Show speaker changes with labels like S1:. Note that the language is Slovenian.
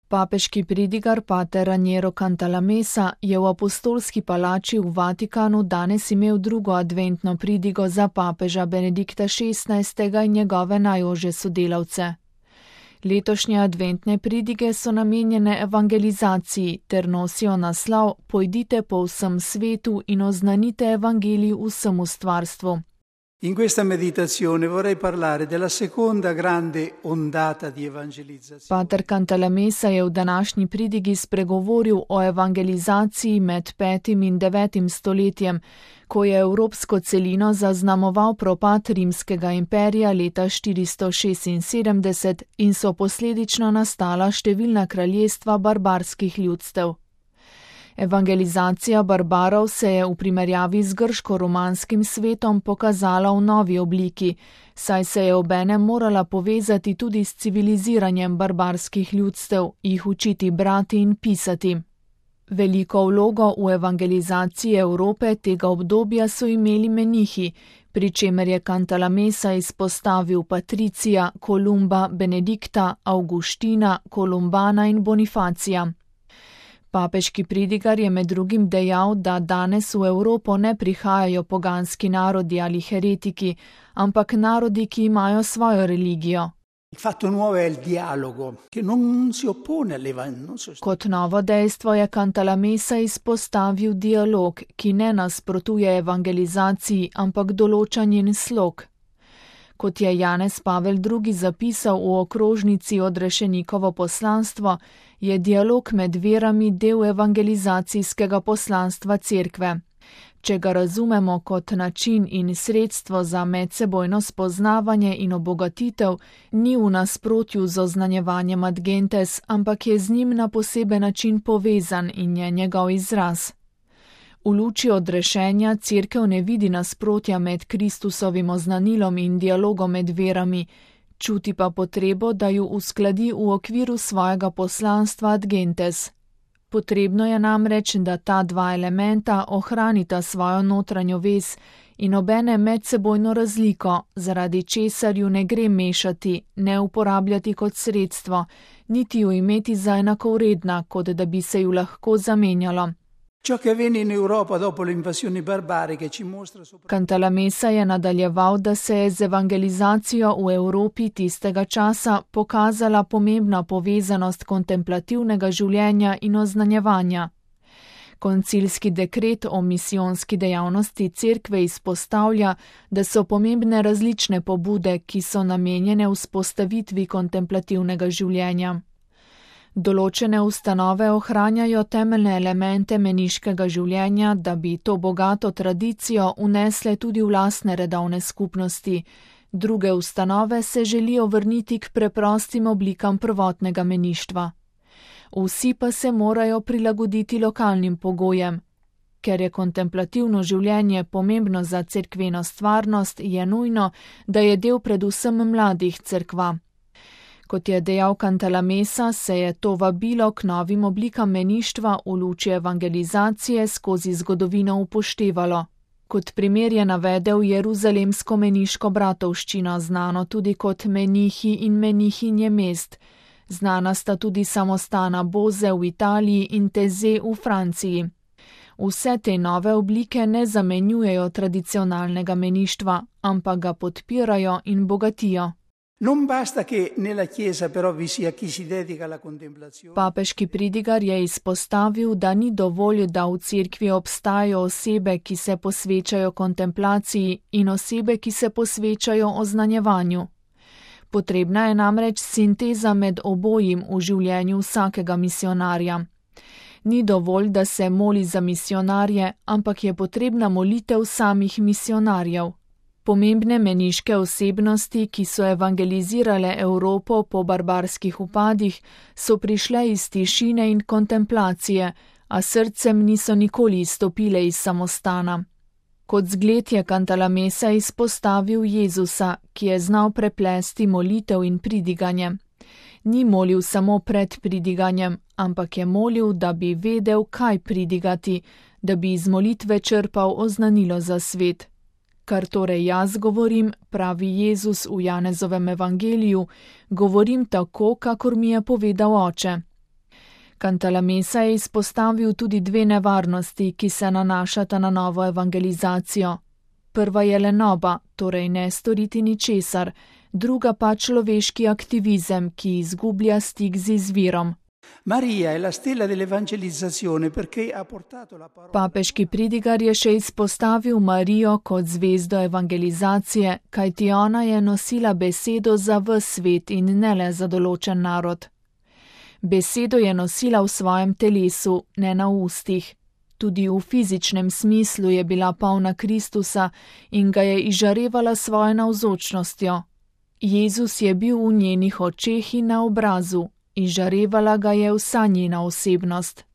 S1: Papeški pridigar pater Raniero Cantalamessa je v apostolski palači v Vatikanu danes imel drugo adventno pridigo za papeža Benedikta XVI. In njegove najožje sodelavce. Letošnje adventne pridige so namenjene evangelizaciji ter nosijo naslov Pojdite po vsem svetu in oznanite evangelij vsemu stvarstvu.
S2: In questa meditazione vorrei parlare della seconda grande ondata di evangelizzazione.
S1: Pater Cantalamessa je v današnji pridigi spregovoril o evangelizaciji med 5. in 9. stoletjem, ko je evropsko celino zaznamoval propad Rimskega imperija leta 476 in so posledično nastala številna kraljestva barbarskih ljudstev. Evangelizacija barbarov se je v primerjavi z grško-romanskim svetom pokazala v novi obliki, saj se je obenem morala povezati tudi s civiliziranjem barbarskih ljudstev, jih učiti brati in pisati. Veliko vlogo v evangelizaciji Evrope tega obdobja so imeli menihi, pri čemer je Cantalamessa izpostavil Patricija, Kolumba, Benedikta, Avguština, Kolumbana in Bonifacija. Papeški pridigar je med drugim dejal, da danes v Evropo ne prihajajo poganski narodi ali heretiki, ampak narodi, ki imajo svojo religijo. Kot novo dejstvo je Cantalamessa izpostavil dialog, ki ne nasprotuje evangelizaciji, ampak določa njen slog. Kot je Janez Pavel II. Zapisal v okrožnici Odrešenikovo poslanstvo, je dialog med verami del evangelizacijskega poslanstva cerkve. Če ga razumemo kot način in sredstvo za medsebojno spoznavanje in obogatitev, ni v nasprotju z oznanjevanjem ad gentes, ampak je z njim na poseben način povezan in je njegov izraz. V luči odrešenja cerkev ne vidi nasprotja med Kristusovim oznanilom in dialogom med verami, čuti pa potrebo, da ju uskladi v okviru svojega poslanstva ad gentes. Potrebno je namreč, da ta dva elementa ohranita svojo notranjo vez in obene medsebojno razliko, zaradi česar ju ne gre mešati, ne uporabljati kot sredstvo, niti ju imeti za enakovredna, kot da bi se ju lahko zamenjalo. Cantalamessa je nadaljeval, da se je z evangelizacijo v Evropi tistega časa pokazala pomembna povezanost kontemplativnega življenja in oznanjevanja. Koncilski dekret o misijonski dejavnosti cerkve izpostavlja, da so pomembne različne pobude, ki so namenjene vzpostavitvi kontemplativnega življenja. Določene ustanove ohranjajo temeljne elemente meniškega življenja, da bi to bogato tradicijo unesle tudi v lastne redovne skupnosti. Druge ustanove se želijo vrniti k preprostim oblikam prvotnega meništva. Vsi pa se morajo prilagoditi lokalnim pogojem. Ker je kontemplativno življenje pomembno za cerkveno stvarnost, je nujno, da je del predvsem mladih cerkva. Kot je dejal Cantalamessa, se je to vabilo k novim oblikam meništva v luči evangelizacije skozi zgodovino upoštevalo. Kot primer je navedel jeruzalemsko meniško bratovščino, znano tudi kot menihi in menihinje mest. Znana sta tudi samostana Boze v Italiji in Teze v Franciji. Vse te nove oblike ne zamenjujejo tradicionalnega meništva, ampak ga podpirajo in bogatijo. Papeški pridigar je izpostavil, da ni dovolj, da v cerkvi obstajajo osebe, ki se posvečajo kontemplaciji in osebe, ki se posvečajo oznanjevanju. Potrebna je namreč sinteza med obojim v življenju vsakega misionarja. Ni dovolj, da se moli za misionarje, ampak je potrebna molitev samih misionarjev. Pomembne meniške osebnosti, ki so evangelizirale Evropo po barbarskih upadih, so prišle iz tišine in kontemplacije, a srcem niso nikoli izstopile iz samostana. Kot zgled je Cantalamessa izpostavil Jezusa, ki je znal preplesti molitev in pridiganje. Ni molil samo pred pridiganjem, ampak je molil, da bi vedel, kaj pridigati, da bi iz molitve črpal oznanilo za svet. Kar torej jaz govorim, pravi Jezus v Janezovem evangeliju, govorim tako, kakor mi je povedal Oče. Cantalamessa je izpostavil tudi dve nevarnosti, ki se nanašata na novo evangelizacijo. Prva je lenoba, torej ne storiti ničesar, druga pa človeški aktivizem, ki izgublja stik z izvirom. Papeški pridigar je še izpostavil Marijo kot zvezdo evangelizacije, kajti ona je nosila besedo za ves svet in ne le za določen narod. Besedo je nosila v svojem telesu, ne na ustih. Tudi v fizičnem smislu je bila polna Kristusa in ga je izžarevala svojo navzočnostjo. Jezus je bil v njenih očeh in na obrazu, izžarevala ga je vsa njena osebnost.